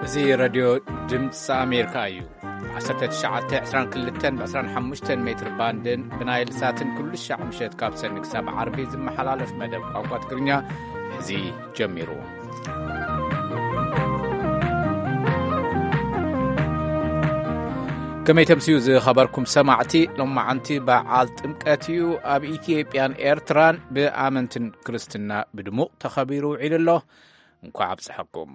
እዚ ረድዮ ድምፂ ኣሜሪካ እዩ። ዓሰርተ ትሽዓተ ዕስራን ክልተን ብ ዕስራን ሓሙሽተን ሜትር ባንድን ብናይል ሳትን ኩሉ ሻዕ ምሸት ካብ ሰኒ ክሳብ ዓርቢ ዝመሓላለፍ መደብ ቋንቋ ትግርኛ እዚ ጀሚሩ። ከመይ ተምስዩ ዝኸበርኩም ሰማዕቲ፣ ሎማዓንቲ በዓል ጥምቀት እዩ። ኣብ ኢትዮጵያን ኤርትራን ብኣመንትን ክርስትና ብድሙቕ ተኸቢሩ ውዒሉ ኣሎ። እንኳዕ ኣብፀሐኩም።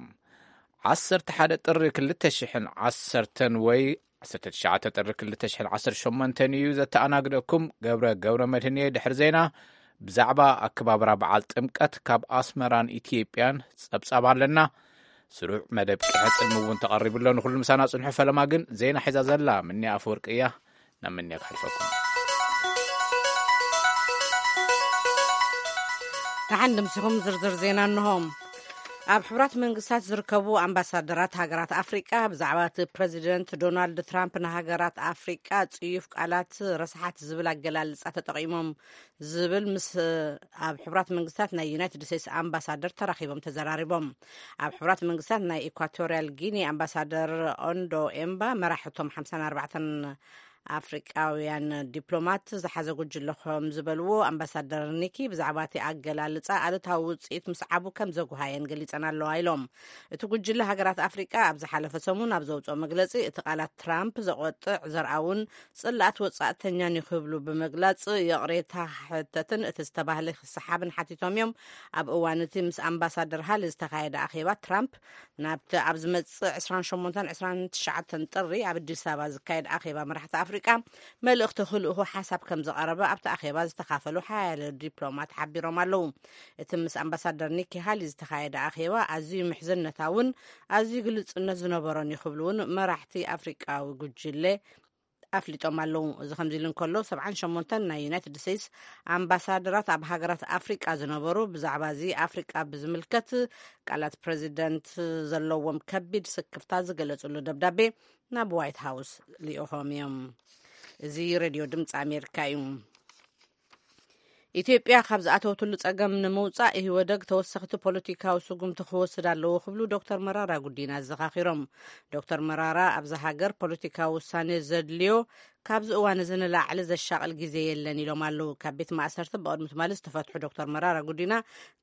ዓሰርተ ሓደ ጥሪ ክልተ ሽሕን ዓሰርተን ወይ ዓሰርተ ትሽዓተ ጥሪ ክልተ ሽሕን ዓሰርተ ሸሞንተን እዩ ዘተኣናግደኩም። ገብረ ገብረ መድህን እየ። ድሕሪ ዜና ብዛዕባ ኣከባብራ በዓል ጥምቀት ካብ ኣስመራን ኢትዮጵያን ጸብጻብ ኣለና። ስሩዕ መደብ ቂሐ ጽልሚ እውን ተቐሪቡ ኣሎ። ንኹሉ ምሳና ጽንሑ። ፈለማ ግን ዜና ሒዛ ዘላ ምንያ ኣፈወርቂ እያ። ናብ ምንያ ክሕልፈኩም። ደሓን ድምስኹም። ዝርዝር ዜና እንሆ። ኣብ ሕቡራት መንግስታት ዝርከቡ ኣምባሳደራት ሃገራት ኣፍሪቃ ብዛዕባ እቲ ፕረዚደንት ዶናልድ ትራምፕ ንሃገራት ኣፍሪቃ ጽዩፍ ቃላት ረስሓት ዝብል ኣገላልጻ ተጠቒሞም ዝብል ምስ ኣብ ሕቡራት መንግስታት ናይ ዩናይትድ ስቴትስ ኣምባሳደር ተራኺቦም ተዘራሪቦም። ኣብ ሕቡራት መንግስታት ናይ ኢኳቶርያል ጊኒ ኣምባሳደር ኦንዶ ኤምባ መራሕቶም ሓምሳን ኣርባዕተን ኣፍሪቃውያን ዲፕሎማት ዝሓዘ ጉጅለ ከም ዝበልዎ፣ ኣምባሳደር ኒኪ ብዛዕባ እቲ ኣገላልጻ ኣሉታዊ ውጽኢት ምስዓቡ ከም ዘጉሃየን ገሊጸን ኣለዋ ኢሎም። እቲ ጉጅለ ሃገራት ኣፍሪቃ ኣብ ዝሓለፈ ሰሙን ኣብ ዘውጽኦ መግለጺ፣ እቲ ቃላት ትራምፕ ዘቆጥዕ፣ ዘርኣውን ጽላኣት ወጻእተኛን እዩ ክብሉ ብምግላጽ፣ ይቕሬታ ክሕተትን እቲ ዝተባህለ ክሰሓብን ሓቲቶም እዮም። ኣብ እዋን እቲ ምስ ኣምባሳደር ሃሊ ዝተኻየደ ኣኼባ፣ ትራምፕ ናብቲ ኣብ ዝመጽእ ዕስራን ሸሞንተን ዕስራን ትሽዓተን ጥሪ ኣብ ኣዲስ ኣበባ ዝካየድ ኣኼባ መራሕቲ ኣፍሪቃ መልእኽቲ ክልእኹ ሓሳብ ከም ዝቐረበ ኣብቲ ኣኼባ ዝተኻፈሉ ሓያለ ዲፕሎማት ሓቢሮም ኣለዉ። እቲ ምስ ኣምባሳደር ኒኪ ሃሊ ዝተኻየደ ኣኼባ ኣዝዩ ምሕዝነታውን ኣዝዩ ግልጽነት ዝነበሮን እዩ ክብሉ እውን መራሕቲ ኣፍሪቃዊ ጉጅለ ኣፍሊጦም ኣለዉ። እዚ ከምዚ ኢሉ እንከሎ፣ ሰብዓን ሸሞንተን ናይ ዩናይትድ ስቴትስ ኣምባሳደራት ኣብ ሃገራት ኣፍሪቃ ዝነበሩ ብዛዕባ እዚ ኣፍሪቃ ብዝምልከት ቃላት ፕረዚደንት ዘለዎም ከቢድ ስክፍታ ዝገለጽሉ ደብዳቤ ናብ ዋይት ሃውስ ልኢኾም እዮም። እዚ ሬድዮ ድምፂ ኣሜሪካ እዩ። ኢትዮጵያ ካብ ዝኣተወትሉ ጸገም ንምውጻእ ኢህወደግ ተወሰኽቲ ፖለቲካዊ ስጉምቲ ክወስድ ኣለዎ ክብሉ ዶክተር መራራ ጉዲና ኣዘኻኺሮም። ዶክተር መራራ፣ ኣብዛ ሃገር ፖለቲካዊ ውሳኔ ዘድልዮ ካብዚ እዋን እዚ ንላዕሊ ዘሻቕል ግዜ የለን ኢሎም ኣለዉ። ካብ ቤት ማእሰርቲ ብቕድሚ ትማሊ ዝተፈትሑ ዶክተር መራራ ጉዲና፣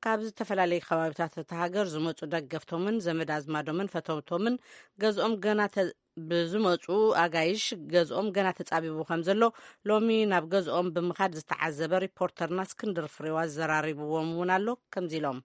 ካብ ዝተፈላለዩ ከባቢታት እታ ሃገር ዝመጹ ደገፍቶምን ዘመድ ኣዝማዶምን ፈተውቶምን ገዝኦም ገና ተ-፣ ብዝመጹ ኣጋይሽ ገዝኦም ገና ተጻቢቡ ከም ዘሎ ሎሚ ናብ ገዝኦም ብምኻድ ዝተዓዘበ ሪፖርተርና እስክንድር ፍሬዋ ዘራሪብዎም እውን ኣሎ። ከምዚ ኢሎም።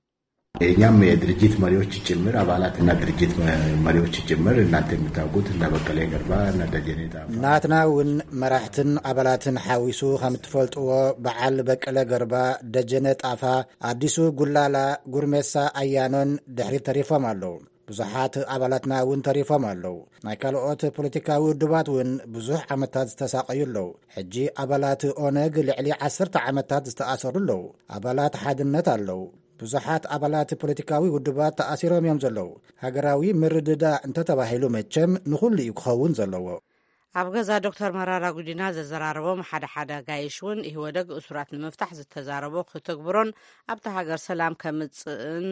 የእኛም የድርጅት መሪዎች ጭምር፣ አባላትና ድርጅት መ-፣ መሪዎች ጭምር፣ እናንተ የምታውቁት እነ በቀለ ገርባ፣ እነ ደጀኔ ጣፋ። ናትና እውን መራሕትን ኣባላትን ሓዊሱ ከም እትፈልጥዎ፣ በዓል በቀለ ገርባ፣ ደጀነ ጣፋ፣ ኣዲሱ ጉላላ፣ ጉርሜሳ ኣያኖን ድሕሪት ተሪፎም ኣለዉ። ብዙሓት ኣባላትና እውን ተሪፎም ኣለዉ። ናይ ካልኦት ፖለቲካዊ ውድባት እውን ብዙሕ ዓመታት ዝተሳቐዩ ኣለዉ። ሕጂ ኣባላት ኦነግ ልዕሊ ዓሰርተ ዓመታት ዝተኣሰሩ ኣለዉ። ኣባላት ሓድነት ኣለዉ። ብዙሓት ኣባላት ፖለቲካዊ ውድባት ተኣሲሮም እዮም ዘለዉ። ሃገራዊ ምርድዳእ እንተተባሂሉ መቸም ንኹሉ እዩ ክኸውን ዘለዎ። ኣብ ገዛ ዶክተር መራራ ጉዲና ዘዘራረቦም ሓደ ሓደ ኣጋይሽ እውን ኢህወደግ እሱራት ንምፍታሕ ዝተዛረቦ ክትግብሮን ኣብታ ሃገር ሰላም ከምጽእን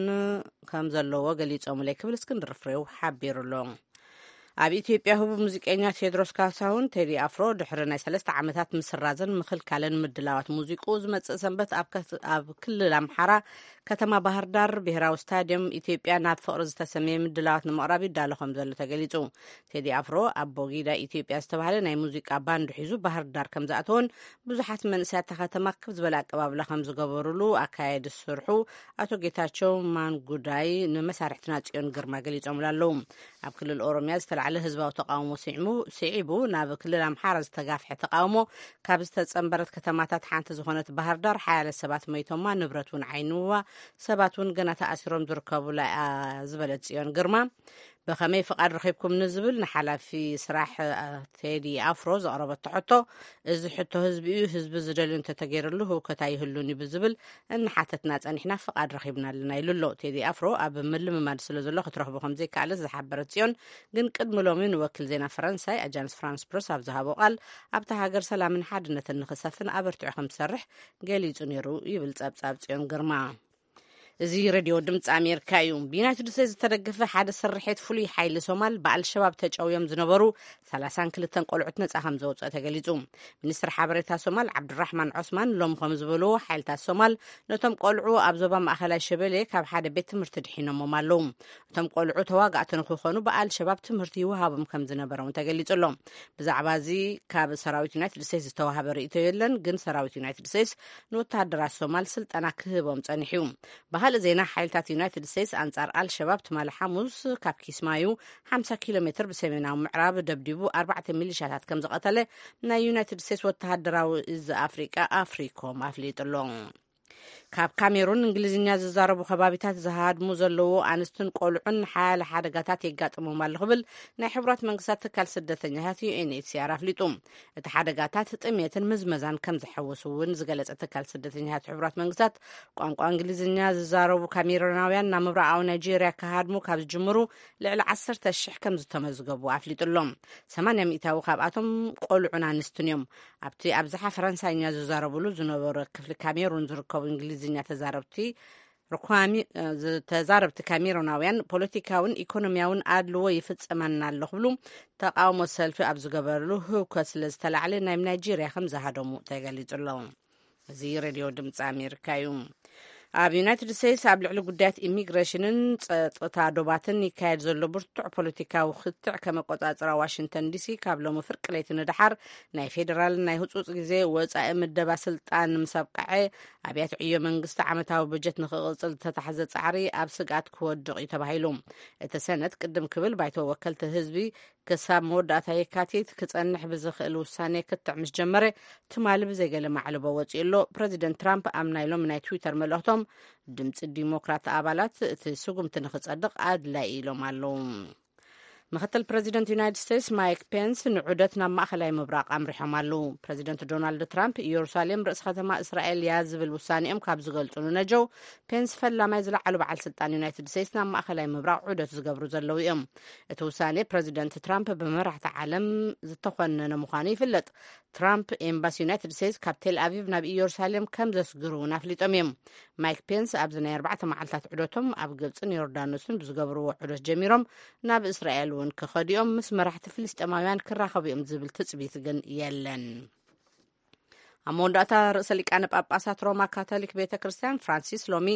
ከም ዘለዎ ገሊጾምለይ ክብል እስክንድር ፍሬው ሓቢሩ ኣሎ። ኣብ ኢትዮጵያ ህቡብ ሙዚቀኛ ቴድሮስ ካሳሁን ቴዲ ኣፍሮ ድሕሪ ናይ ሰለስተ ዓመታት ምስራዝን ምኽልካልን ምድላዋት ሙዚቁ ዝመጽእ ሰንበት ኣብ ከት-፣ ኣብ ክልል ኣምሓራ ከተማ ባህር ዳር ብሄራዊ ስታዲየም ኢትዮጵያ ናብ ፍቕሪ ዝተሰመየ ምድላዋት ንምቕራብ ይዳሎ ከም ዘሎ ተገሊጹ። ቴዲ ኣፍሮ ኣቦጊዳ ኢትዮጵያ ዝተባህለ ናይ ሙዚቃ ባንድ ሒዙ ባህር ዳር ከም ዝኣተወን ብዙሓት መንእሰያት እታ ከተማ ክብ ዝበለ ኣቀባብላ ከም ዝገበሩሉ ኣካየዲ ስርሑ ኣቶ ጌታቸው ማንጉዳይ ንመሳርሕትና ጽዮን ግርማ ገሊጾምሉ ኣለዉ። ኣብ ክልል ኦሮሚያ ዝተላዕለ ህዝባዊ ተቃውሞ ስዒሙ-፣ ስዒቡ ናብ ክልል ኣምሓራ ዝተጋፍሐ ተቃውሞ ካብ ዝተጸንበረት ከተማታት ሓንቲ ዝኾነት ባህር ዳር ሓያለ ሰባት መይቶማ፣ ንብረት እውን ዓይንዋ፣ ሰባት እውን ገና ተኣሲሮም ዝርከቡላ እያ ዝበለት ጽዮን ግርማ፣ ብኸመይ ፍቓድ ረኺብኩም ንዝብል ንሓላፊ ስራሕ፣ አ፣ ቴዲ ኣፍሮ ዘቕረበቶ ሕቶ፣ እዚ ሕቶ ህዝቢ እዩ፣ ህዝቢ ዝደልዮ እንተተገይርሉ ህውከት ኣይህሉን እዩ ብዝብል እናሓተትና ጸኒሕና ፍቓድ ረኺብና ኣለና ኢሉ ኣሎ። ቴዲ ኣፍሮ ኣብ ምልምማድ ስለ ዘሎ ክትረኽቦ ከም ዘይከኣለት ዝሓበረት ጽዮን፣ ግን ቅድሚ ሎሚ ንወኪል ዜና ፈረንሳይ ኣጃንስ ፍራንስ ፕረስ ኣብ ዝሃቦ ቃል፣ ኣብታ ሃገር ሰላምን ሓድነትን ንኽሰፍን ኣበርቲዑ ከም ዝሰርሕ ገሊጹ ነይሩ ይብል ጸብጻብ ጽዮን ግርማ። እዚ ሬድዮ ድምፂ ኣሜሪካ እዩ። ብዩናይትድ ስቴትስ ዝተደገፈ ሓደ ስርሒት ፍሉይ ሓይሊ ሶማል ብኣልሸባብ ተጨውዮም ዝነበሩ ሰላሳን ክልተን ቆልዑት ነፃ ከም ዘውፅአ ተገሊፁ። ሚኒስትር ሓበሬታ ሶማል ዓብዱራሕማን ዖስማን ሎም ከም ዝበልዎ፣ ሓይልታት ሶማል ነቶም ቆልዑ ኣብ ዞባ ማእኸላይ ሸበሌ ካብ ሓደ ቤት ትምህርቲ ድሒኖሞም ኣለዉ። እቶም ቆልዑ ተዋጋእቲ ንክኾኑ ብኣልሸባብ ትምህርቲ ይወሃቦም ከም ዝነበረ እውን ተገሊፁ ኣሎ። ብዛዕባ እዚ ካብ ሰራዊት ዩናይትድ ስቴትስ ዝተዋሃበ ርእይቶ የለን፣ ግን ሰራዊት ዩናይትድ ስቴትስ ንወተሃደራት ሶማል ስልጠና ክህቦም ጸኒሑ እዩ። ብኻልእ ዜና፣ ሓይልታት ዩናይትድ ስቴትስ ኣንጻር ኣልሸባብ ትማሊ ሓሙስ ካብ ኪስማዩ ሓምሳ ኪሎ ሜትር ብሰሜናዊ ምዕራብ ደብዲቡ ኣርባዕተ ሚሊሻታት ከም ዝቐተለ ናይ ዩናይትድ ስቴትስ ወተሃደራዊ እዚ ኣፍሪቃ ኣፍሪኮም ኣፍሊጡ ኣሎ። ካብ ካሜሩን እንግሊዝኛ ዝዛረቡ ከባቢታት ዝሃድሙ ዘለዉ ኣንስትን ቆልዑን ሓያለ ሓደጋታት የጋጥሞም ኣሎ ክብል ናይ ሕቡራት መንግስታት ትካል ስደተኛታት ዩ ኤን ኤች ሲ ኣር ኣፍሊጡ። እቲ ሓደጋታት ጥሜትን ምዝመዛን ከም ዝሕውስ እውን ዝገለጸ ትካል ስደተኛታት ሕቡራት መንግስታት፣ ቋንቋ እንግሊዝኛ ዝዛረቡ ካሜሩናውያን ናብ ምብራቓዊ ናይጄርያ ክሃድሙ ካብ ዝጅምሩ ልዕሊ ዓሰርተ ሽሕ ከም ዝተመዝገቡ ኣፍሊጡ ኣሎ። ሰማንያ ሚእታዊ ካብኣቶም ቆልዑን ኣንስትን እዮም። ኣብቲ ኣብዝሓ ፈረንሳይኛ ዝዛረብሉ ዝነበረ ክፍሊ ካሜሩን ዝርከቡ እንግሊዝኛ ተዛረብቲ ርኳሚ-፣ እ፣ ዝ-፣ ተዛረብቲ ካሜሩናውያን ፖለቲካውን ኢኮኖሚያውን ኣድልዎ ይፍጸመና ኣሎ ክብሉ ተቃውሞ ሰልፊ ኣብ ዝገበርሉ ህውከት ስለ ዝተላዕለ ናይ ናይጄርያ ከም ዝሃደሙ ተገሊጹ ኣሎ። እዚ ሬድዮ ድምፂ ኣሜሪካ እዩ። ኣብ ዩናይትድ ስቴትስ ኣብ ልዕሊ ጉዳያት ኢሚግሬሽንን ጸጥታ ዶባትን ይካየድ ዘሎ ብርቱዕ ፖለቲካዊ ክትዕ ከመቆጻጽራ ዋሽንግተን ዲሲ ካብ ሎሚ ፍርቂ ለይቲ ንደሓር ናይ ፌዴራል ናይ ህጹጽ ግዜ ወጻኢ ምደባ ስልጣን ምስ ኣብቅዐ፣ ኣብያተ ዕዮ መንግስቲ ዓመታዊ በጀት ንክቕጽል ዝተታሕዘ ጻዕሪ ኣብ ስግኣት ክወድቕ እዩ ተባሂሉ። እቲ ሰነድ ቅድም ክብል ባይቶ ወከልቲ ህዝቢ ክሳብ መወዳእታ የካቲት ክጸንሕ ብዝኽእል ውሳኔ ክትዕ ምስ ጀመረ፣ ትማሊ ብዘይገለ ማዕልቦ ወጺኡ ኣሎ። ፕረዚደንት ትራምፕ ኣብ ናይ ሎሚ ናይ ትዊተር መልእኽቶም፣ ድምጺ ዲሞክራት ኣባላት እቲ ስጉምቲ ንኽጸድቕ ኣድላይ ኢሎም ኣለዉ። ምክትል ፕረዚደንት ዩናይትድ ስቴትስ ማይክ ፔንስ ንዑደት ናብ ማእኸላይ ምብራቕ ኣምሪሖም ኣለዉ። ፕረዚደንት ዶናልድ ትራምፕ፣ ኢየሩሳሌም ርእሲ ከተማ እስራኤል እያ ዝብል ውሳኔኦም ካብ ዝገልጹ ንነጀው፣ ፔንስ ፈላማይ ዝለዓሉ በዓል ስልጣን ዩናይትድ ስቴትስ ናብ ማእኸላይ ምብራቕ ዑደት ዝገብሩ ዘለዉ እዮም። እቲ ውሳኔ ፕረዚደንት ትራምፕ ብመራሕቲ ዓለም ዝተኾነነ ምዃኑ ይፍለጥ። ትራምፕ ኤምባሲ ዩናይትድ ስቴትስ ካብ ቴል ኣቪቭ ናብ ኢየሩሳሌም ከም ዘስግሩ እውን ኣፍሊጦም እዮም። ማይክ ፔንስ ኣብዚ ናይ ኣርባዕተ መዓልታት ዑደቶም ኣብ ግብፅን ዮርዳኖስን ብዝገብርዎ ዑደት ጀሚሮም ናብ እስራኤል እውን ክኸዱ እዮም። ምስ መራሕቲ ፍልስጤማውያን ክራኸቡ እዮም ዝብል ትፅቢት ግን የለን። ኣብ መወዳእታ፣ ርእሰ ሊቃነ ጳጳሳት ሮማ ካቶሊክ ቤተ ክርስቲያን ፍራንሲስ ሎሚ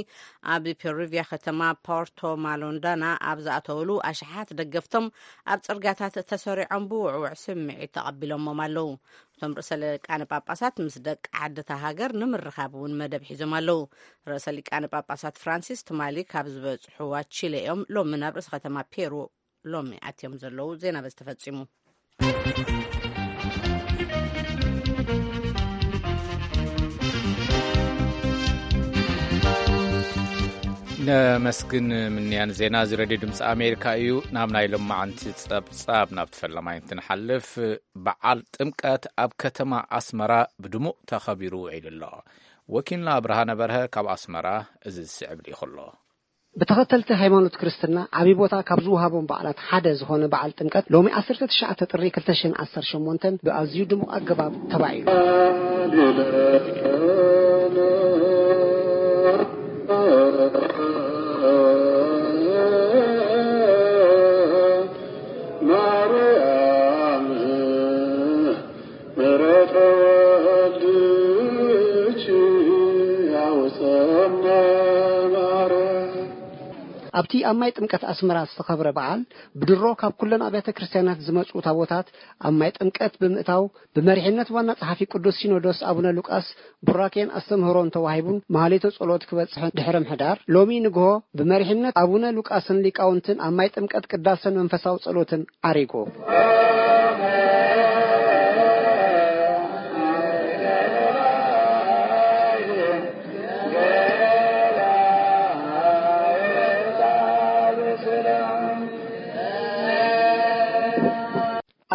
ኣብ ፔሩቪያ ከተማ ፖርቶ ማሎንዳና ኣብ ዝኣተውሉ፣ ኣሽሓት ደገፍቶም ኣብ ጽርግያታት ተሰሪዖም ብውዕውዕ ስምዒት ተቐቢሎሞም ኣለዉ። እቶም ርእሰ ሊቃነ ጳጳሳት ምስ ደቂ ዓዲ እታ ሃገር ንምርኻብ እውን መደብ ሒዞም ኣለዉ። ርእሰ ሊቃነ ጳጳሳት ፍራንሲስ ትማሊ ካብ ዝበጽሕዋ ቺለ እዮም ሎሚ ናብ ርእሰ ከተማ ፔሩ ሎሚ ኣትዮም ዘለዉ። ዜና በዚ ተፈጺሙ። ነመስግን ምንያን ዜና እዚ ሬድዮ ድምፂ ኣሜሪካ እዩ። ናብ ናይ ሎማዓንቲ ጸብጻብ ናብቲ ፈለማይ እንትንሓልፍ፣ በዓል ጥምቀት ኣብ ከተማ ኣስመራ ብድሙቕ ተኸቢሩ ውዒሉ ኣሎ። ወኪልና ብርሃነ በርሀ ካብ ኣስመራ እዚ ዝስዕብ ልኢኹ ኣሎ። ብተኸተልቲ ሃይማኖት ክርስትና ዓብዪ ቦታ ካብ ዝወሃቦም በዓላት ሓደ ዝኾነ በዓል ጥምቀት ሎሚ ዓሰርተ ትሽዓተ ጥሪ ክልተ ሽሕን ዓሰርተ ሸሞንተን ብኣዝዩ ድሙቕ ኣገባብ ተባዒሉ። ኣብቲ ኣብ ማይ ጥምቀት ኣስመራ ዝተኸብረ በዓል፣ ብድሮ ካብ ኩለን ኣብያተ ክርስቲያናት ዝመጹ ታቦታት ኣብ ማይ ጥምቀት ብምእታው፣ ብመሪሕነት ዋና ጸሓፊ ቅዱስ ሲኖዶስ ኣቡነ ሉቃስ ቡራኬን ኣስተምህሮን ተዋሂቡን ማህሌተ ጸሎት ክበጽሕን ድሕሪ ምሕዳር፣ ሎሚ ንግሆ ብመሪሕነት ኣቡነ ሉቃስን ሊቃውንትን ኣብ ማይ ጥምቀት ቅዳሰን መንፈሳዊ ጸሎትን ዓሪጉ።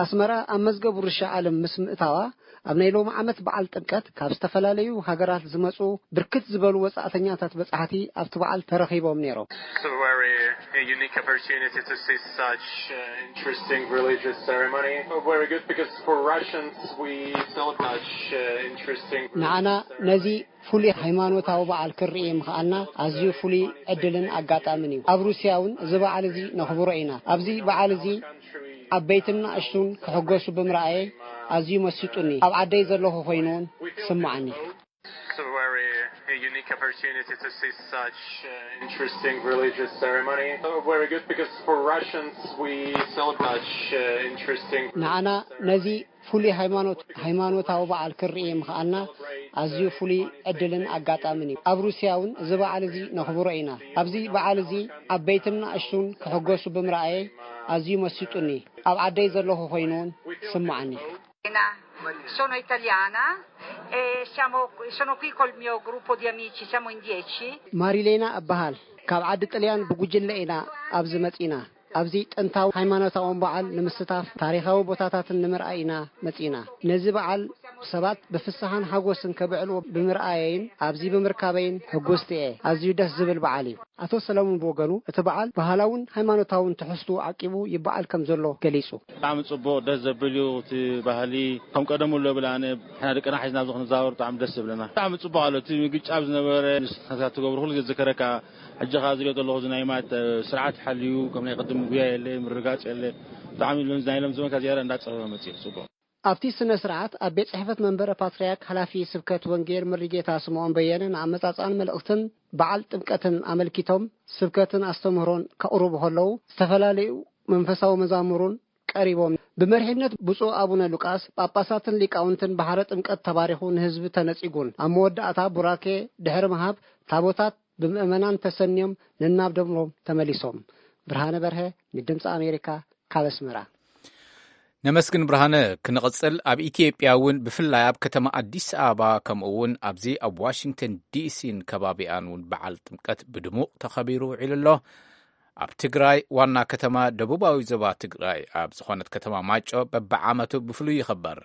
ኣስመራ ኣብ መዝገብ ውርሻ ዓለም ምስ ምእታዋ፣ ኣብ ናይ ሎሚ ዓመት በዓል ጥምቀት ካብ ዝተፈላለዩ ሃገራት ዝመጹ ብርክት ዝበሉ ወጻእተኛታት በጻሕቲ ኣብቲ በዓል ተረኺቦም ነይሮም። February A unique opportunity to see such uh, interesting religious ceremony. Very good because for Russians we celebrate such uh, interesting religious ንዓና ceremony. ነዚ ፍሉይ ሃይማኖታዊ በዓል ክንርኢ ምኽኣልና ኣዝዩ ፍሉይ ዕድልን ኣጋጣምን እዩ። ኣብ ሩስያ እውን እዚ በዓል እዚ ነኽብሮ ኢና። ኣብዚ በዓል እዚ ዓበይትን ንኣሽቱን ክሕጎሱ ብምርኣየ ኣዝዩ መሲጡኒ። ኣብ ዓደይ ዘለኹ ኮይኑ እውን ስምዓኒ። It's a very a unique opportunity to see such uh, interesting religious ceremony. Uh, very good because for Russians we celebrate such uh, interesting ንዓና ነዚ ፍሉይ ሃይማኖት ሃይማኖታዊ በዓል ክንርኢ ምኽኣልና ኣዝዩ ፍሉይ ዕድልን ኣጋጣምን እዩ። ኣብ ሩስያ እውን እዚ በዓል እዚ ነኽብሮ ኢና። ኣብዚ በዓል እዚ ዓበይትን ንኣሽቱን ክሕጎሱ ብምርኣየ ኣዝዩ መሲጡኒ። ኣብ ዓደይ ዘለኹ ኮይኑ እውን ስምዓኒ። Sono italiana e siamo, sono qui col mio gruppo di amici, siamo in dieci. ማሪሌና እበሃል። ካብ ዓዲ ጥልያን ብጉጅለ ኢና ኣብዚ መጺና። ኣብዚ ጥንታዊ ሃይማኖታዊ በዓል ንምስታፍ ታሪኻዊ ቦታታትን ንምርኣይ ኢና መጺና። ነዚ በዓል ሰባት ብፍስሓን ሓጎስን ከብዕልዎ ብምርኣየይን ኣብዚ ብምርካበይን ሕጉስቲ እየ። ኣዝዩ ደስ ዝብል በዓል እዩ። ኣቶ ሰለሙን ብወገኑ እቲ በዓል ባህላውን ሃይማኖታውን ትሕዝትኡ ዓቂቡ ይበዓል ከም ዘሎ ገሊጹ። ብጣዕሚ ጽቡቕ ደስ ዘብል እዩ እቲ ባህሊ ከም ቀደሙ ኣሎ ብል ኣነ ንሕና ደቅና ሒዝና ኣብዚ ክንዛወር ብጣዕሚ ደስ ዝብለና ብጣዕሚ ጽቡቕ ኣሎ እቲ ምግጫብ ዝነበረ ንስኻ ትገብሩ ኩሉ ግዜ ዝከረካ ሕጂ ኸዓ ዝሪኦ ዘለኹ እዚ ናይ ማት ስርዓት ሓልዩ ከም ናይ ቅድም ጉያ የለ ምርጋጽ የለ ብጣዕሚ ሎምዚ ናይ ሎም ዘመንካ ዝያዳ እንዳጸበበ መጽኡ ጽቡቕ ኣብቲ ስነ ስርዓት ኣብ ቤት ጽሕፈት መንበረ ፓትርያርክ ሓላፊ ስብከት ወንጌል ምሪጌታ ስምዖን በየነ ንኣመጻጽኣን መልእኽትን በዓል ጥምቀትን ኣመልኪቶም ስብከትን ኣስተምህሮን ከቕርቡ ከለዉ ዝተፈላለዩ መንፈሳዊ መዛሙሩን ቀሪቦም ብመሪሕነት ብፁዕ ኣቡነ ሉቃስ ጳጳሳትን ሊቃውንትን ባሕረ ጥምቀት ተባሪኹ ንህዝቢ ተነጺጉን ኣብ መወዳእታ ቡራኬ ድሕሪ ምሃብ ታቦታት ብምእመናን ተሰንዮም ነናብ ደብሮም ተመሊሶም። ብርሃነ በርሀ ንድምፂ ኣሜሪካ ካብ ኣስመራ። ነመስግን ብርሃነ። ክንቕጽል ኣብ ኢትዮጵያ እውን ብፍላይ ኣብ ከተማ ኣዲስ ኣበባ ከምኡ እውን ኣብዚ ኣብ ዋሽንግተን ዲሲን ከባቢኣን እውን በዓል ጥምቀት ብድሙቕ ተኸቢሩ ውዒሉ ኣሎ። ኣብ ትግራይ ዋና ከተማ ደቡባዊ ዞባ ትግራይ ኣብ ዝኾነት ከተማ ማይጨው በብዓመቱ ብፍሉይ ይኽበር።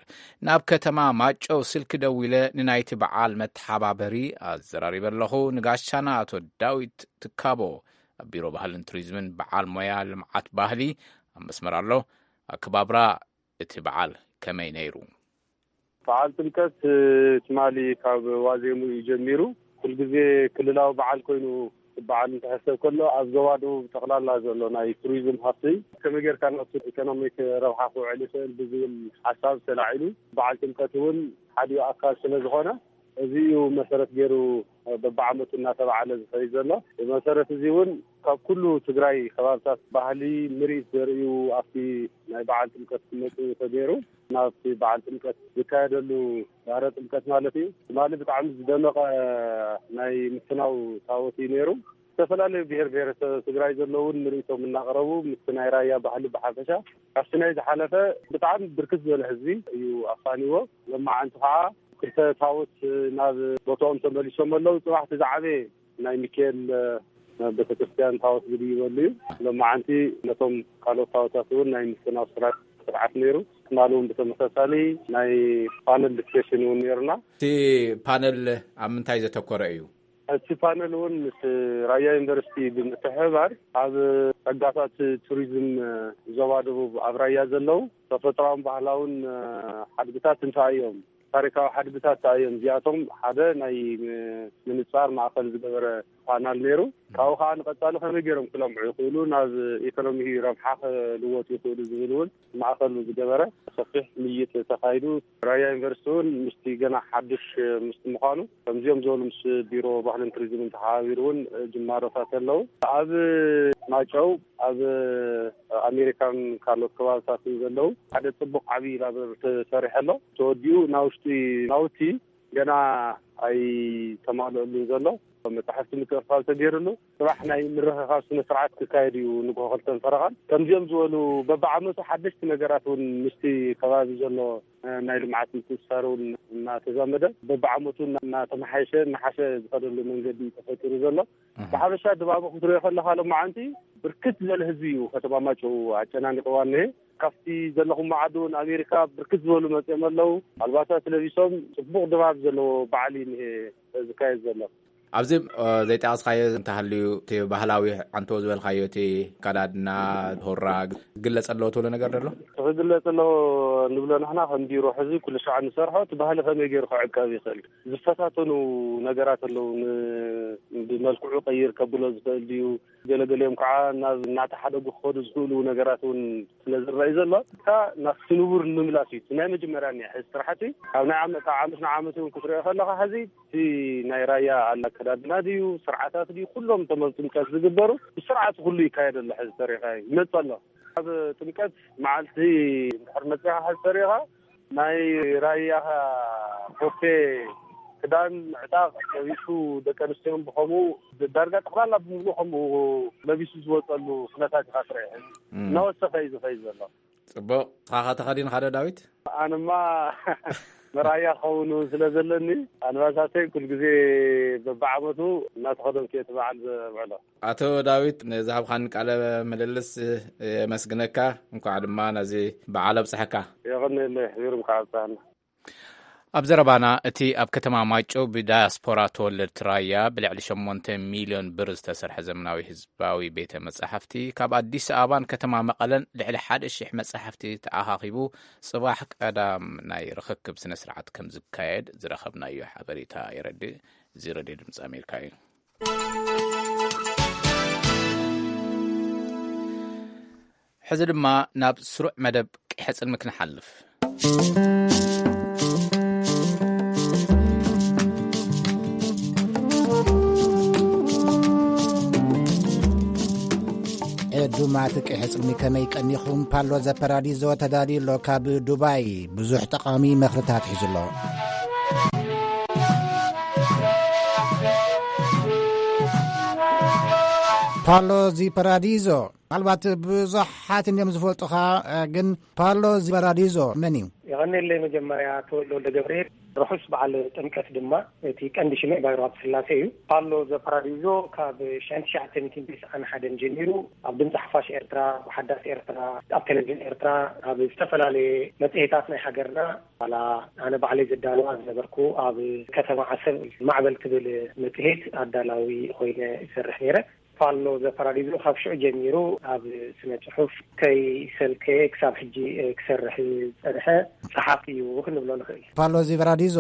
ናብ ከተማ ማይጨው ስልኪ ደዊለ ንናይቲ በዓል መተሓባበሪ ኣዘራሪበ ኣለኹ። ንጋሻና ኣቶ ዳዊት ትካቦ ኣብ ቢሮ ባህልን ቱሪዝምን በዓል ሞያ ልምዓት ባህሊ ኣብ መስመር ኣሎ። ኣከባብራ እቲ በዓል ከመይ ነይሩ? በዓል ጥምቀት ትማሊ ካብ ዋዜሙ እዩ ጀሚሩ። ኩልግዜ ክልላዊ በዓል ኮይኑ በዓል እንትሕሰብ ከሎ ኣብ ዞባ ደቡብ ጠቕላላ ዘሎ ናይ ቱሪዝም ሃፍቲ ከመይ ጌርካ ናብቲ ኢኮኖሚክ ረብሓ ክውዕል ይኽእል ብዝብል ሓሳብ ተላዒሉ በዓል ጥምቀት እውን ሓዲኡ ኣካል ስለ ዝኾነ እዚ እዩ መሰረት ገይሩ በብዓመቱ እናተባዓለ ዝኸይድ ዘሎ። ብመሰረት እዚ እውን ካብ ኩሉ ትግራይ ከባብታት ባህሊ ምርኢት ዘርእዩ ኣብቲ ናይ በዓል ጥምቀት ክመፁ ተገይሩ። ናብቲ በዓል ጥምቀት ዝካየደሉ ዳህረ ጥምቀት ማለት እዩ። ትማሊ ብጣዕሚ ዝደመቐ ናይ ምፍናው ታቦት እዩ ነይሩ። ዝተፈላለዩ ብሄር ብሄረሰብ ትግራይ ዘለውን ምርኢቶም እናቕረቡ ምስቲ ናይ ራያ ባህሊ ብሓፈሻ ካብቲ ናይ ዝሓለፈ ብጣዕሚ ብርክት ዝበለ ህዝቢ እዩ ኣፋንዎ። ሎማዓንቲ ከዓ ክልተ ታቦት ናብ ቦታኦም ተመሊሶም ኣለዉ። ፅባሕቲ ዝዓበየ ናይ ሚካኤል ቤተክርስትያን ታቦት ዝድይበሉ እዩ። ሎማዓንቲ ነቶም ካልኦት ታቦታት እውን ናይ ምፍናው ስርዓት ነይሩ። ትማሊ እውን ብተመሳሳሊ ናይ ፓነል ዲስከሽን እውን ነይሩና። እቲ ፓነል ኣብ ምንታይ ዘተኮረ እዩ? እቲ ፓነል እውን ምስ ራያ ዩኒቨርሲቲ ብምትሕብባር ኣብ ጸጋታት ቱሪዝም ዞባ ደቡብ ኣብ ራያ ዘለዉ ተፈጥሮኣውን ባህላውን ሓድግታት እንታይ እዮም፣ ታሪካዊ ሓድግታት እንታይ እዮም፣ እዚኣቶም ሓደ ናይ ምንጻር ማእኸል ዝገበረ ፓናል ነይሩ። ካብኡ ከዓ ንቐጻሊ ከመይ ገይሮም ክለምዑ ይኽእሉ፣ ናብ ኢኮኖሚ ረብሓ ክልወጡ ይኽእሉ ዝብል እውን ማእኸሉ ዝገበረ ሰፊሕ ምይይጥ ተኻይዱ። ራያ ዩኒቨርሲቲ እውን ምስቲ ገና ሓድሽ ምስቲ ምዃኑ ከምዚኦም ዝበሉ ምስ ቢሮ ባህልን ቱሪዝምን ተሓባቢሩ እውን ጅማሮታት ኣለዉ። ኣብ ማጨው ኣብ ኣሜሪካን ካልኦት ከባብታትን ዘለዉ ሓደ ፅቡቕ ዓብዪ ላብረሪ ተሰሪሐ ኣሎ። ተወዲኡ ናውሽጢ ናውቲ ገና ኣይተማልአሉን ዘሎ። መጻሕፍቲ ምትእኽኻብ ተገይሩሉ ጽባሕ ናይ ምርኽኻብ ስነ ስርዓት ክካየድ እዩ ንግሆ ክልተን ፈረቓን። ከምዚኦም ዝበሉ በብዓመቱ ሓደሽቲ ነገራት እውን ምስቲ ከባቢ ዘሎ ናይ ልምዓት ምትእስሳር እውን እናተዛመደ በብዓመቱ እናተመሓየሸ እናሓሸ ዝኸደሉ መንገዲ እዩ ተፈጢሩ ዘሎ። ብሓፈሻ ድባቡ ክትሪኦ ከለኻ ሎማዓንቲ ብርክት ዝበለ ህዝቢ እዩ ከተማ ማጨው ኣጨናኒቕዋ እኒሀ። ካብቲ ዘለኹም ዓዲ እውን ኣሜሪካ ብርክት ዝበሉ መፅኦም ኣለዉ። ኣልባሳት ለቢሶም ፅቡቕ ድባብ ዘለዎ በዓል እዩ እኒሀ ዝካየድ ዘሎ። ኣብዚ ዘይጠቐስካዮ እንተሃልዩ፣ እቲ ባህላዊ ዓንቶ ዝበልካዮ፣ እቲ ኣከዳድና፣ ሁራ፣ ክግለጽ ኣለዎ ትብሎ ነገር ዶ ኣሎ? ክግለጽ ኣለዎ እንብሎ ንሕና ከም ቢሮ፣ ሕዚ ኩሉ ሻዕ ንሰርሖ፣ እቲ ባህሊ ከመይ ገይሩ ክዕቀብ ይኽእል? ዝፈታተኑ ነገራት ኣለዉ። ን-፣ ብመልክዑ ቀይር ከብሎ ዝኽእል ድዩ? ገለገሊኦም ከዓ ናብ እናተሓደጉ ክኸዱ ዝኽእሉ ነገራት እውን ስለ ዝረኣዩ ዘሎ፣ እታ ናብ ስንቡር ንምምላስ እዩ። እቲ ናይ መጀመርያ እኒኣ። ሕዚ ስራሕቲ ካብ ናይ ዓመ-፣ ካብ ዓመት ንዓመት እውን ክትሪኦ ከለኻ፣ ሕዚ እቲ ናይ ራያ ኣከዳድና ድዩ፣ ስርዓታት ድዩ፣ ኩሎም እቶም ኣብ ጥምቀት ዝግበሩ ብስርዓት ኩሉ ይካየድ ኣሎ። ሕዚ ተሪኻ ይመጽእ ኣሎ። ኣብ ጥምቀት መዓልቲ እንድሕር መጺኻ ሕዚ ተሪኻ፣ ናይ ራያ ቦፌ ክዳን፣ ምዕጣቕ ለቢሱ፣ ደቂ ኣንስትዮን ብኸምኡ፣ ዳርጋ ጠቕላላ ብምሉእ ከምኡ ለቢሱ ዝወጸሉ ኩነታት ኢኻ ትርኢ። ሕዚ እም። እናወሰኸ እዩ ዝኸይድ ዘሎ። ጽቡቕ። ንስኻ ተኸዲንካ ዶ፣ ዳዊት? ኣነማ መርኣያ ክኸውን እውን ስለ ዘለኒ፣ ኣልባሳተይ ኩል ግዜ በብዓመቱ እናተኸደንኩ እየ እቲ በዓል ዘብዕሎ። ኣቶ ዳዊት፣ ንዝሃብካኒ ቃለ ምልልስ የመስግነካ። እንኳዕ ድማ ነዚ በዓል ኣብጽሐካ። የቐንየለይ፣ ሕቢሩ እንኳዕ ኣብጽሐና። ኣብ ዘረባና፣ እቲ ኣብ ከተማ ማይጨው ብዳያስፖራ ተወለድቲ ራያ ብልዕሊ ሸሞንተ ሚልዮን ብር ዝተሰርሐ ዘመናዊ ህዝባዊ ቤተ መጻሕፍቲ፣ ካብ ኣዲስ ኣበባን ከተማ መቐለን ልዕሊ ሓደ ሺሕ መጻሕፍቲ ተኣኻኺቡ፣ ጽባሕ ቀዳም ናይ ርኽክብ ስነ ስርዓት ከም ዝካየድ ዝረኸብናዮ ሓበሬታ የረድእ። እዚ ሬድዮ ድምፂ ኣሜሪካ እዩ። ሕዚ ድማ ናብ ስሩዕ መደብ ቅሐ ጽልሚ ክንሓልፍ። ዕዱማት ቅሐ ጽልሚ ከመይ ቀኒኹም? ፓሎ ዘፐራዲዞ ተዳልዩ ኣሎ ካብ ዱባይ። ብዙሕ ጠቓሚ መኽርታት ሒዙ ኣሎ። ፓሎ ዚ ፓራዲዞ፣ ምናልባት ብዙሓት እንዲዮም ዝፈልጡኻ፣ እ፣ ግን ፓሎ ዚ ፓራዲዞ መን እዩ? የቐንየለይ። መጀመርያ ተወልደ ወልደ ገብርኤል፣ ርሑስ በዓል ጥምቀት ድማ። እቲ ቀንዲ ሽመይ ባይሩ ሃብተስላሴ እዩ። ፓሎ ዘ ፓራዲዞ ካብ ሸሕን ትሽዓተ ሚእትን ተስዓን ሓደን ጀሚሩ ኣብ ድምፂ ሓፋሽ ኤርትራ፣ ኣብ ሓዳስ ኤርትራ፣ ኣብ ቴሌቪዥን ኤርትራ፣ ኣብ ዝተፈላለየ መጽሔታት ናይ ሃገርና፣ ዋላ ኣነ ባዕለይ ዘዳልዋ ዝነበርኩ ኣብ ከተማ ዓሰብ ማዕበል ትብል መጽሔት ኣዳላዊ ኮይነ ይሰርሕ ነይረ። ፓሎ ዘ ፓራዲዞ ካብ ሽዑ ጀሚሩ ኣብ ስነ ጽሑፍ ከይሰልከየ ክሳብ ሕጂ ክሰርሕ ዝጸንሐ ጸሓፊ እዩ ክንብሎ ንኽእል። ፓሎ ዚ ፓራዲዞ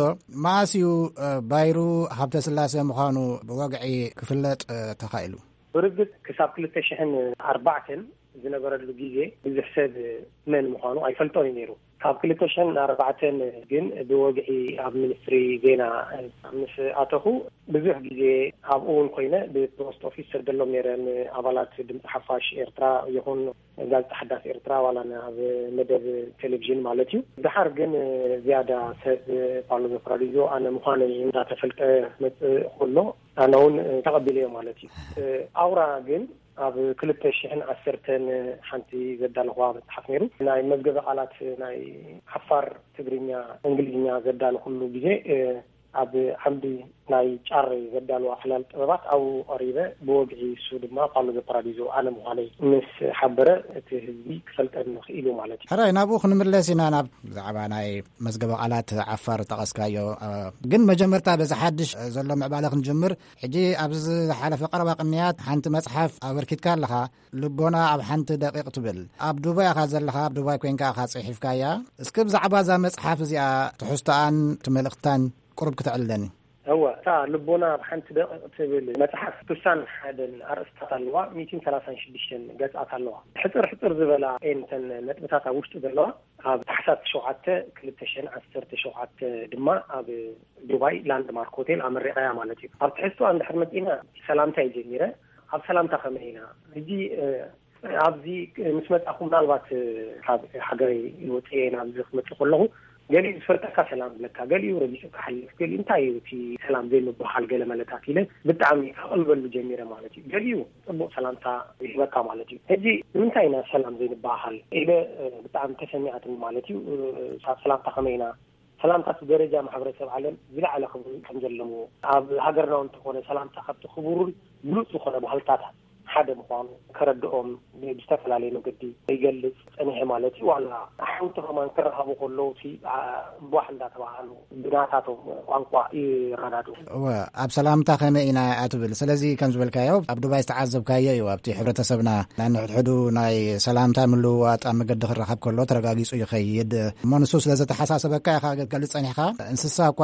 መኣስ እዩ፣ እ፣ ባይሩ ሃብተስላሴ ምዃኑ ብወግዒ ክፍለጥ፣ እ፣ ተኻኢሉ? ብርግጽ ክሳብ ክልተ ሽሕን ኣርባዕተን ዝነበረሉ ግዜ ብዙሕ ሰብ መን ምዃኑ ኣይፈልጦን እዩ ነይሩ። ካብ ክልተ ሽሕን ኣርባዕተን ግን ብወግዒ ኣብ ሚኒስትሪ ዜና ምስ ኣተኹ፣ ብዙሕ ግዜ ኣብኡ እውን ኮይነ ብፖስት ኦፊስ ሰደሎም ነይረ፣ ንኣባላት ድምፂ ሓፋሽ ኤርትራ ይኹን ጋዜጣ ሓዳስ ኤርትራ፣ ዋላ ናብ መደብ ቴሌቪዥን ማለት እዩ። ድሓር ግን ዝያዳ ሰብ ፓሎ ዘ ፓራዲዞ ኣነ ምዃነይ እንዳተፈልጠ መፅእ ከሎ፣ ኣነ እውን ተቐቢለዮ ማለት እዩ። ኣውራ ግን ኣብ ክልተ ሽሕን ዓሰርተን ሓንቲ ዘዳለኹዋ መጽሓፍ ነይሩ። ናይ መዝገበ ቃላት ናይ ዓፋር፣ ትግርኛ፣ እንግሊዝኛ ዘዳለኹሉ ግዜ፣ እ፣ ኣብ ዓምዲ ናይ ጫረይ ዘዳለዋ ዕላል ጥበባት ኣብኡ ቀሪበ፣ ብወግዒ እሱ ድማ ፓሎ ዘ ፓራዲዞ ኣነ ምዃነይ ምስ ሓበረ፣ እቲ ህዝቢ ክፈልጠኒ ክኢሉ ማለት እዩ። ሕራይ፣ ናብኡ ክንምለስ ኢና፣ ናብ ብዛዕባ ናይ መዝገበ ቃላት ዓፋር ጠቐስካዮ። እ፣ ግን መጀመርታ በዚ ሓድሽ ዘሎ ምዕባለ ክንጅምር። ሕጂ ኣብዚ ዝሓለፈ ቀረባ ቅንያት ሓንቲ መጽሓፍ ኣበርኪትካ ኣለኻ። ልቦና ኣብ ሓንቲ ደቂቕ ትብል። ኣብ ዱባይ ኢኻ ዘለኻ፣ ኣብ ዱባይ ኮይንካ ኢኻ ጽሒፍካያ። እስኪ ብዛዕባ እዛ መጽሓፍ እዚኣ ትሕዝቶኣን እቲ መልእኽታን ቁሩብ ክተዕልለኒ። እወ፣ እታ ልቦና ኣብ ሓንቲ ደቂቕ ትብል መጽሓፍ ስሳን ሓደን ኣርእስታት ኣለዋ፣ ሚእትን ሰላሳን ሽዱሽተን ገጻት ኣለዋ። ሕጽር ሕጽር ዝበላ እየን እተን ነጥብታት ኣብ ውሽጢ ዘለዋ። ኣብ ታሕሳስ ሸውዓተ ክልተ ሽሕን ዓሰርተ ሸውዓተ ድማ ኣብ ዱባይ ላንድማርክ ሆቴል ኣመሪቐያ ማለት እዩ። ኣብ ትሕዝቶኣ እንድሕር መጺእና፣ ሰላምታ እዩ ጀሚረ። ኣብ ሰላምታ ከመይ ኢና? ሕጂ፣ እ፣ ኣብዚ ምስ መጻኹ፣ ምናልባት፣ እ፣ ካብ ሃገረይ ወጽኤ ናብዚ ክመጽእ ከለኹ፣ ገሊኡ ዝፈልጠካ ሰላም ዝብለካ፣ ገሊኡ ረጊጹ ክሓልፍ፣ ገሊኡ እንታይ እዩ እቲ ሰላም ዘይምብሃል ገለ መለታት ኢለ ብጣዕሚ ከቕልበሉ ጀሚረ ማለት እዩ። ገሊኡ ጽቡቕ ሰላምታ ይህበካ ማለት እዩ። ሕጂ ንምንታይ ኢና ሰላም ዘይንበሃል ኢለ፣ እ፣ ብጣዕሚ ተሰሚዓትኒ ማለት እዩ። እ፣ ሳብ ሰላምታ ከመይ ኢና ሰላምታ እቲ ደረጃ ማሕበረሰብ ዓለም ዝለዓለ ክብሪ ከም ዘለዎ፣ ኣብ ሃገርና እውን እንተኾነ ሰላምታ ካብቲ ክቡርን ብሉጽ ዝኾነ ባህልታታት ሓደ ምዃኑ ከረድኦም ብዝተፈላለየ መገዲ ይገልጽ ጸኒሐ ማለት እዩ። ዋላ ኣሕውቲ ከማን ክረኸቡ ከለዉ እቲ፣ ኣ፣ እምቧሕ እንዳተባሃሉ ብናታቶም ቋንቋ ይረዳድኡ። እወ፣ ኣብ ሰላምታ ከመይ ኢና እያ ትብል። ስለዚ ከም ዝበልካዮ ኣብ ዱባይ ዝተዓዘብካዮ እዩ። ኣብቲ ሕብረተሰብና ናይ ንሕድሕዱ ናይ ሰላምታ ምልውዋጥ ኣብ መገዲ ክረኸብ ከሎ ተረጋጊጹ ይኸይድ። እሞ ንሱ ስለ ዘተሓሳሰበካ ኢኻ ክትገልጽ ጸኒሕካ። እንስሳ እኳ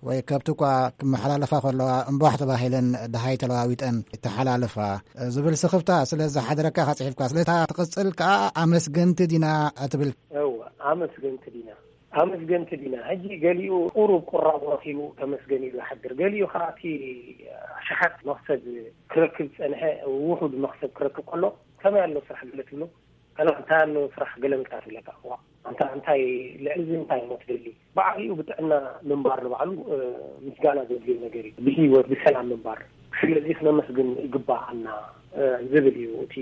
ወይ ከብቲ እኳ ክመሓላለፋ ከለዋ እምቧሕ ተባሂለን ደሃይ ተለዋዊጠን ይተሓላለፋ ዝብል ስኽፍታ ስለ ዝሓደረካ ኢኻ ጽሒፍካ። ስለታ ትቕጽል ከኣ ኣመስገንቲ ዲና እትብል። እወ፣ ኣመስገንቲ ዲና። ኣመስገንቲ ዲና። ሕጂ ገሊኡ ቁሩብ ቁራብ ረኺቡ ተመስገን ኢሉ ይሓድር። ገሊኡ ከኣ እቲ ኣሽሓት መኽሰብ ክረክብ ዝጸንሐ ውሑድ መኽሰብ ክረክብ ከሎ፣ ከመይ ኣሎ ስራሕ ገለ ትብሎ፣ ከላ እንታይ ኣሎ ስራሕ ገለ ምጻ ትብለካ። እዋ፣ ኣንታ እንታይ ልዕሊ እዚ እንታይ እሞ ትደሊ? ብዓቢኡ ብጥዕና ምንባር ንባዕሉ፣ እ፣ ምስጋና ዘድልዮ ነገር እዩ። ብህይወት ብሰላም ምንባር። ስለዚ ክነመስግን ይግባኣና፣ እ፣ ዝብል እዩ እቲ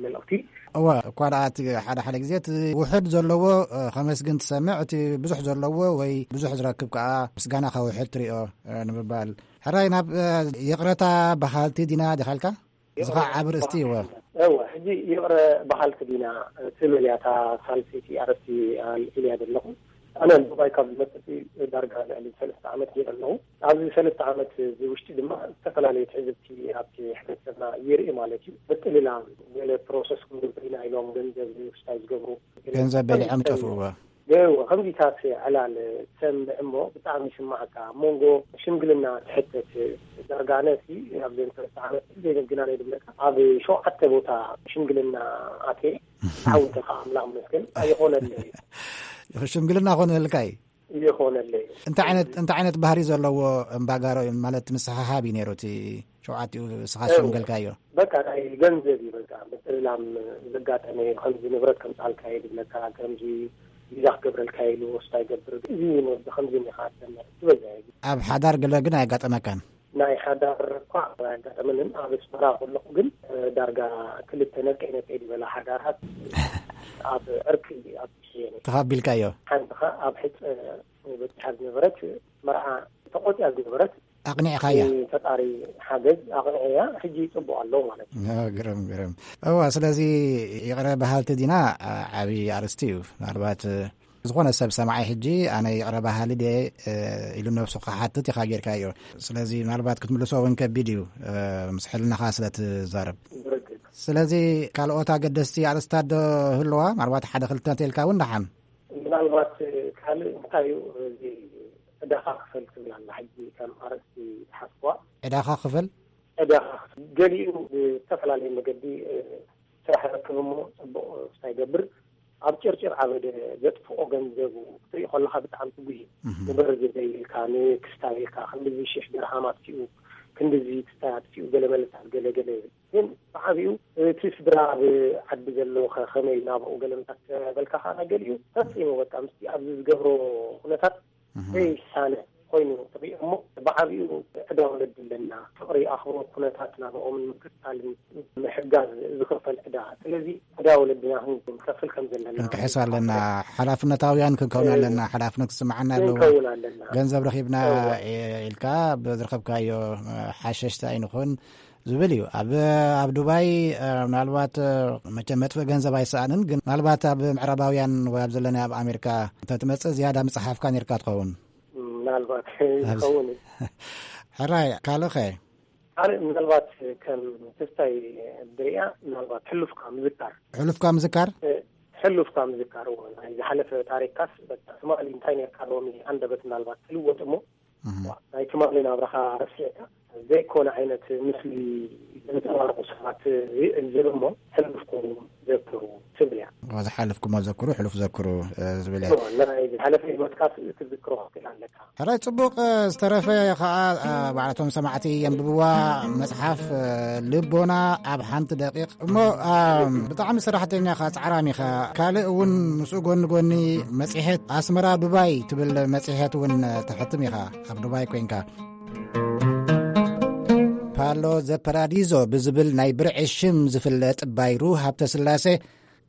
መልእኽቲ። እወ፣ እኳ ደኣ እቲ ሓደ ሓደ ግዜ እቲ ውሑድ ዘለዎ፣ እ፣ ከመስግን ትሰምዕ፣ እቲ ብዙሕ ዘለዎ ወይ ብዙሕ ዝረክብ ከኣ ምስጋና ከውሕድ ትሪኦ፣ እ፣ ንምባል። ሕራይ ናብ፣ እ፣ ይቕረታ በሃልቲ ዲና ዲኻ ኢልካ? እዚ ኸዓ ዓቢ ርእስቲ እወ። እወ፣ ሕጂ ይቕረ በሃልቲ ዲና ትብል እያ እታ ሳልሰይቲ ኣርእስቲ ኢለያ ዘለኹ። ኣነ ዱባይ ካብ ዝመጽእ ዳርጋ ልዕሊ ሰለስተ ዓመት ገይረ ኣለኹ። ኣብዚ ሰለስተ ዓመት እዚ ውሽጢ ድማ ዝተፈላለዩ ትዕዝብቲ ኣብቲ ሕብረተሰብና ይርኢ ማለት እዩ። ምጥልላም፣ ገለ ፕሮሰስ ክንገብር ኢና ኢሎም ገንዘብ ውስታይ ዝገብሩ። ገንዘብ በሊዖም ይጠፍኡ። እወ። ገይዎ ከምዚታት ዕላል ትሰምዕ እሞ ብጣዕሚ ይስማዓካ። ኣብ መንጎ ሽምግልና ትሕተት ዳርጋ ኣነሲ ኣብ ዘንተ ዓመት ዘይነግና ናይ ድብለካ ኣብ ሸውዓተ ቦታ ሽምግልና ኣትየ። ዓውተ ከዓ ኣምላኽ መስገን ኣይኾነለይ። ሽምግልና ኮነልካ እዩ። ይኾነለይ። እንታይ ዓይነት፣ እንታይ ዓይነት ባህሪ ዘለዎ እምባጋሮ እዩ? ማለት ምስሓሓብ እዩ ነይሩ እቲ ሸውዓቲኡ ስኻ እው። ሸምገልካዮ? በቃ ናይ ገንዘብ እዩ። በቃ ምጥልላም ዘጋጠመ እዩ። ከምዚ ንብረት ከምፃልካ እዩ ድብለካ፣ ከምዚ ቪዛ ክገብረልካ ኢሉ ወስዳ ይገብር። እዚ ወዲ ከምዚ ኢኻ ትሰምዕ ትበዛ እዩ። ኣብ ሓዳር ገለ ግን ኣያጋጠመካን? ናይ ሓዳር እኳ ኣያጋጠመንን። ኣብ ኣስመራ ከለኹ ግን ዳርጋ ክልተ ነቀይ ነቀይ ዝበላ ሓዳራት ኣብ ዕርቂ ኣብ ትሽየን እዩ። ተኻቢልካዮ? ሓንቲ ኸ ኣብ ሕፀ በፂሓ ዝነበረት መርዓ ተቆፅያ ዝነበረት ኣቕኒዕኻያ? ፈጣሪ ሓገዝ ኣቕኒዐያ። ሕጂ ይፅቡቕ ኣለዉ ማለት እዩ። ኦ፣ ግርም፣ ግርም። እዋ፣ ስለዚ ይቕረ በሃልቲ ዲና፣ ዓ-፣ ዓብዪ ኣርእስቲ እዩ። ምናልባት፣ እ፣ ዝኾነ ሰብ ሰማዓይ ሕጂ ኣነ ይቕረ በሃሊ ድየ፣ እ፣ ኢሉ ነብሱ ክሓትት ኢኻ ጌርካዮ። ስለዚ ምናልባት ክትምልሶ እውን ከቢድ እዩ፣ እ፣ ምስ ሕልናኻ ስለ ትዛረብ። ብርግጽ። ስለዚ ካልኦት ኣገደስቲ ኣርእስታት ዶ ህልዋ? ምናልባት ሓደ ክልተ እንተኢልካ እውን ደሓን። ምናልባት ካልእ እንታይ እዩ፣ እዚ ዕዳኻ ክፈል ትብል ኣላ። ሕጂ ከም ኣርእስቲ ዝሓዝኩዋ። ዕዳኻ ክፈል? ዕዳኻ ክፈል። ገሊኡ ብዝተፈላለየ መገዲ፣ እ፣ ስራሕ ረክብ እሞ ጽቡቕ ስታይ ገብር። ኣብ ጭርጭር ዓበደ ዘጥፍኦ ገንዘቡ ክትርኢ ከለኻ ብጣዕሚ ትጉህ እዩ። እህ። ንበር ዝበይ ኢልካ፣ ንክስታይ ኢልካ፣ ክንድዚ ሽሕ ድርሃም ኣጥፊኡ፣ ክንድዚ ክስታይ ኣጥፊኡ፣ ገለ መለታት ገለ ገለ። ግን ብዓቢኡ እቲ ስድራ ኣብ ዓዲ ዘሎ ከ-፣ ከመይ ናብኡ ገለ ምታት በልካ ከኣ ገሊኡ ፈጺሙ በቃ ምስቲ ኣብዚ ዝገብሮ ኩነታት እህ። ዘይሳነ ኮይኑ ትሪኦ እሞ ብዓቢኡ ዕዳ ወለዲ ኣለና። ፍቕሪ፣ ኣኽብሮት፣ ኩነታት ናብኦምን ምክታልን ምሕጋዝ ዝኽፈል ዕዳ። ስለዚ ዕዳ ወለድና ክንከፍል ከም ዘለና ክንክሕስ ኣለና። ሓላፍነታውያን ክንከውን እ፣ ኣለና። ሓላፍነት ክስምዓና ኣለዎ። ክንከውን ኣለና። ገንዘብ ረኺብና እወ። እ፣ ኢልካ ብዝረኸብካዮ፣ እ፣ ሓሸሽቲ ኣይንኹን። ዝብል እዩ። ኣብ፣ ኣብ ዱባይ፣ እ፣ ምናልባት፣ እ፣ መቸም መጥፍእ ገንዘብ ኣይሰኣንን፣ ግን ምናልባት ኣብ ምዕራባውያን ወይ ኣብ ዘለና ኣብ ኣሜሪካ እንተትመጽእ ዝያዳ ምጽሓፍካ ነርካ ትኸውን። ምናልባት ኣብዚ ይኸውን እዩ። ሕራይ፣ ካልእ ኸ? ካልእ ምናልባት ከም ክስታይ ድሪያ ምናልባት ሕሉፍካ ምዝካር። ሕሉፍካ ምዝካር? እ፣ ሕሉፍካ ምዝካር፣ እዎ። ናይ ዝሓለፈ ታሪክካስ በቃ ትማሊ እንታይ ነርካ ሎሚ ኣንደበት ምናልባት ትልወጥ እሞ እህ። ናይ ትማሊ ናብራኻ ረሲዕካ ዘይኮነ ዓይነት ምስሊ ዘንጸባርቑ ሰባት ይዕዘብ እሞ ሕሉፍኩም ዘክሩ ትብል እያ። ዝሓለፍኩሞ ዘክሩ፣ ሕሉፍ ዘክሩ፣ እ፣ ዝብል እያ። እሞ ናይ ዝሓለፈ ህይወትካ ትዝክሮ ክትክእል ኣለካ። ሕራይ ጽቡቕ፣ እ፣ ዝተረፈ ኸኣ፣ እ፣ ባዕላቶም ሰማዕቲ የንብብዋ መጽሓፍ፣ እ፣ ልቦና ኣብ ሓንቲ ደቂቕ። እሞ፣ እ፣ ብጣዕሚ ሰራሕተኛ ኢኻ፣ ጻዕራም ኢኻ። ካልእ እውን ምስኡ ጎኒ ጎኒ መጽሔት ኣስመራ ዱባይ ትብል መጽሔት እውን ተሕትም ኢኻ፣ ኣብ ዱባይ ኮይንካ። ፓሎ ዘፐራዲዞ ብዝብል ናይ ብርዒ ሽም ዝፍለጥ ባይሩ ሃብተ ስላሴ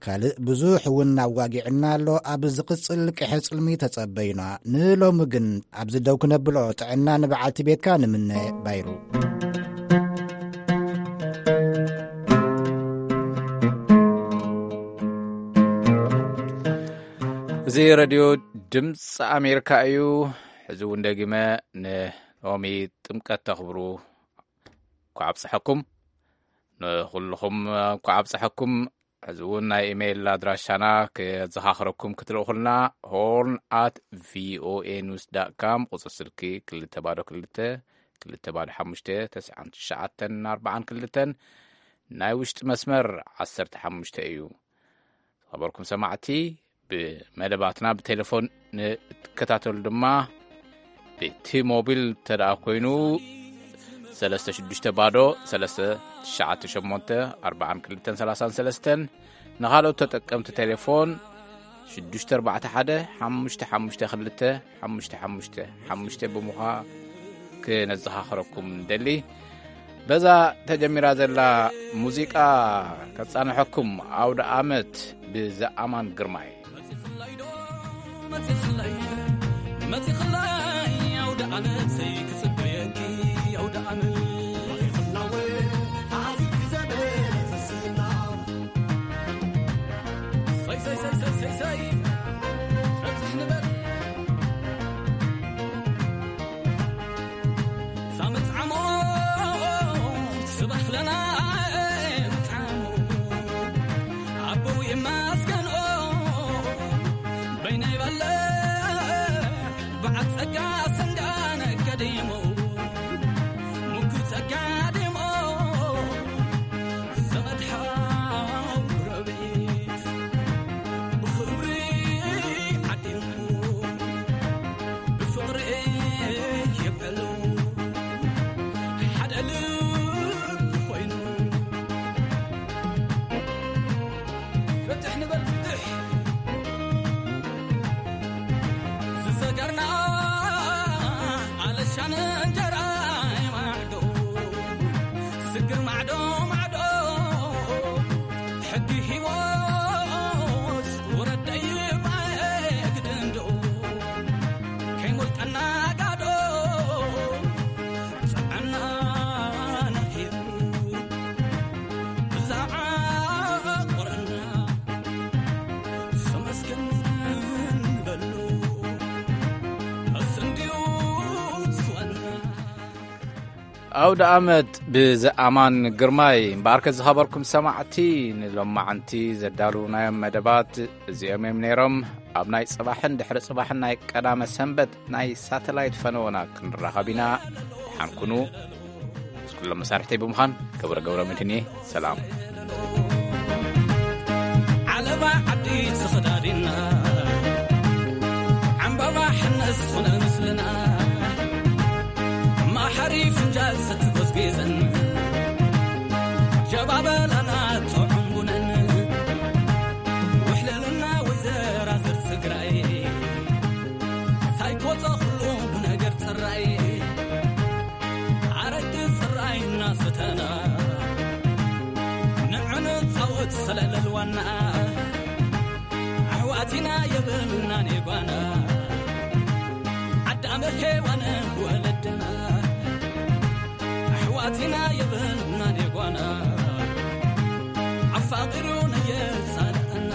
ካልእ ብዙሕ እውን ኣዋጊዕና ኣሎ። ኣብ ዝቕጽል ቅሐ ጽልሚ ተጸበዩና። ንሎሚ ግን ኣብዚ ደው ክነብሎ ጥዕና ንበዓልቲ ቤትካ ንምነ ባይሩ። እዚ ሬድዮ ድምፂ ኣሜሪካ እዩ። ሕዚ እውን ደጊመ ንሎሚ ጥምቀት ተኽብሩ እንኳዕ ኣብፀሐኩም። ንኹልኹም እንኳዕ ኣብፀሐኩም። ሕዚ እውን ናይ ኢሜይል ኣድራሻና ከዘኻኽረኩም ክትልእኹልና፣ ሆርን ኣት ቪኦኤ ኒውስ ዳት ካም፣ ቁፅሪ ስልኪ ክልተ ባዶ ክልተ ክልተ ባዶ ሓሙሽተ ተስዓን ትሽዓተን ኣርባዓን ክልተን፣ ናይ ውሽጢ መስመር ዓሰርተ ሓሙሽተ እዩ። ዝኸበርኩም ሰማዕቲ፣ ብመደባትና ብቴሌፎን ንትከታተሉ ድማ ብቲ ሞቢል ተደኣ ኮይኑ ሰለስተ ሽዱሽተ ባዶ ሰለስተ ትሽዓተ ሸሞንተ ኣርባዓን ክልተን ሰላሳን ሰለስተን፣ ንኻልኦት ተጠቀምቲ ቴሌፎን ሽዱሽተ ኣርባዕተ ሓደ ሓሙሽተ ሓሙሽተ ክልተ ሓሙሽተ ሓሙሽተ ሓሙሽተ ብምዃ ክነዘኻኽረኩም ንደሊ። በዛ ተጀሚራ ዘላ ሙዚቃ ከጻንሐኩም፣ ኣውደ ኣመት ብዘኣማን ግርማይ። መጺኽላይ፣ መጺኽላይ ኣውደ ዓመተይ ክጽበየኪ ኣውደ ዓመት። ሰይ፣ ሰይ፣ ሰይ፣ ሰይ፣ ሰይ፣ ሰይ። በጽሕ ንበል። ሳመት ዓሞ ስባሕ ለና መጥዓሞ ኣቦው የማስገንኦ በይነይ በለ በዓል ጸጋ ሰንጋነ ከዲሞ ሙኩ ጸጋ ዲሞ ዘመድ ሓው ጎረቤት ብኽብሪ ዓዲሙ ብፍቕሪ የብዕሉ ሓደ ልቢ ኮይኑ። ፍትሕ ንበል ፍትሕ። ዝሰገርና ኣለሻን እንጀራ ማዕዶ ስግር ማዕዶ ማዕዶ ሕጊ ህይወት ወረደይ ባየግድንዶ ከይሞልቀና ጋዶ ጸዓና ናሂሩ ብዛዓ ቆረና ሰመስገን በሉ ኣስንድዩ ስወና። ኣውደ ኣመት ብዘኣማን ግርማይ። እምበኣርከ ዝኸበርኩም ሰማዕቲ፣ ንሎማዓንቲ ዘዳለውናዮም መደባት እዚኦም እዮም ነይሮም። ኣብ ናይ ጽባሕን ድሕሪ ጽባሕን ናይ ቀዳመ ሰንበት ናይ ሳተላይት ፈነወና ክንራኸብ ኢና። ደሓን ኩኑ። ምስ ኩሎም መሳርሕተይ ብምዃን ገብረ ገብረ መድህን እየ። ሰላም። ዓለባ ዓዲ ተኸዳዲና ዓምባባ ሕነ ዝኾነ ምስልና ማሓሪ ፍንጃል ሰቲ ጎዝጊዘን ጀባበላና ጥዑም ቡነን ውሕልልና ወይዘራዝር ትግራይ ሳይኮ ጸኽሉ ብነገር ጽራይ ኣረቂ ጽራይ እናሰተና ንዕንጻወት ሰለለልዋና ኣሕዋትና የብልናን የጓና ኣዳም ሔዋን ወለድና ኣሕዋትና የብልናን የጓና ኣፋቒሩ ነየሳልአና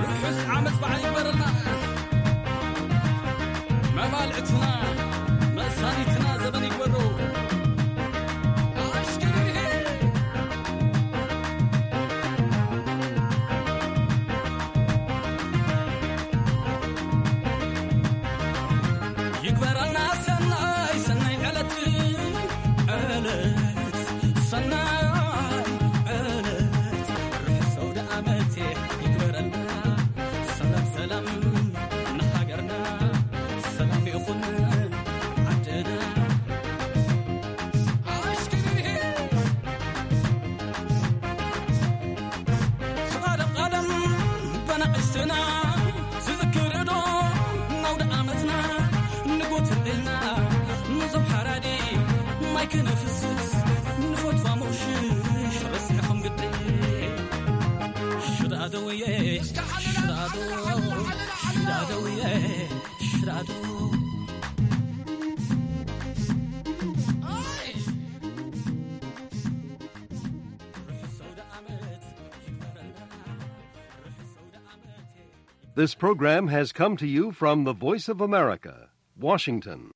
ርሑስ ዓመት በዓል ይግበረልና መባልዕትና መሳኒትና ዘበን ይግበሮ ኣሽከርሄ ይግበረልና ሰናይ ሰናይ ዕለት ዕለት ሰናይ ዕለት ርሑስ ኣውደ ዓመት ይግበረልና ሰላም ሰላም ንሃገርና ሰላም ይኹን ዓድና ኣሽክርሄ ስቓደም ቓደም በናእሽትና ዝዝክር ዶ ናውደ ዓመትና ንጎትልና ንዞም ሓራዲ ማይ ክነፍስስ ንፈትዋ ሞሽሽ ረስዕኹም ግዲ ሽዳደውየ ሽዳዶ ሽዳደውየ ሽዳዶ This program has come to you from the Voice of America, Washington.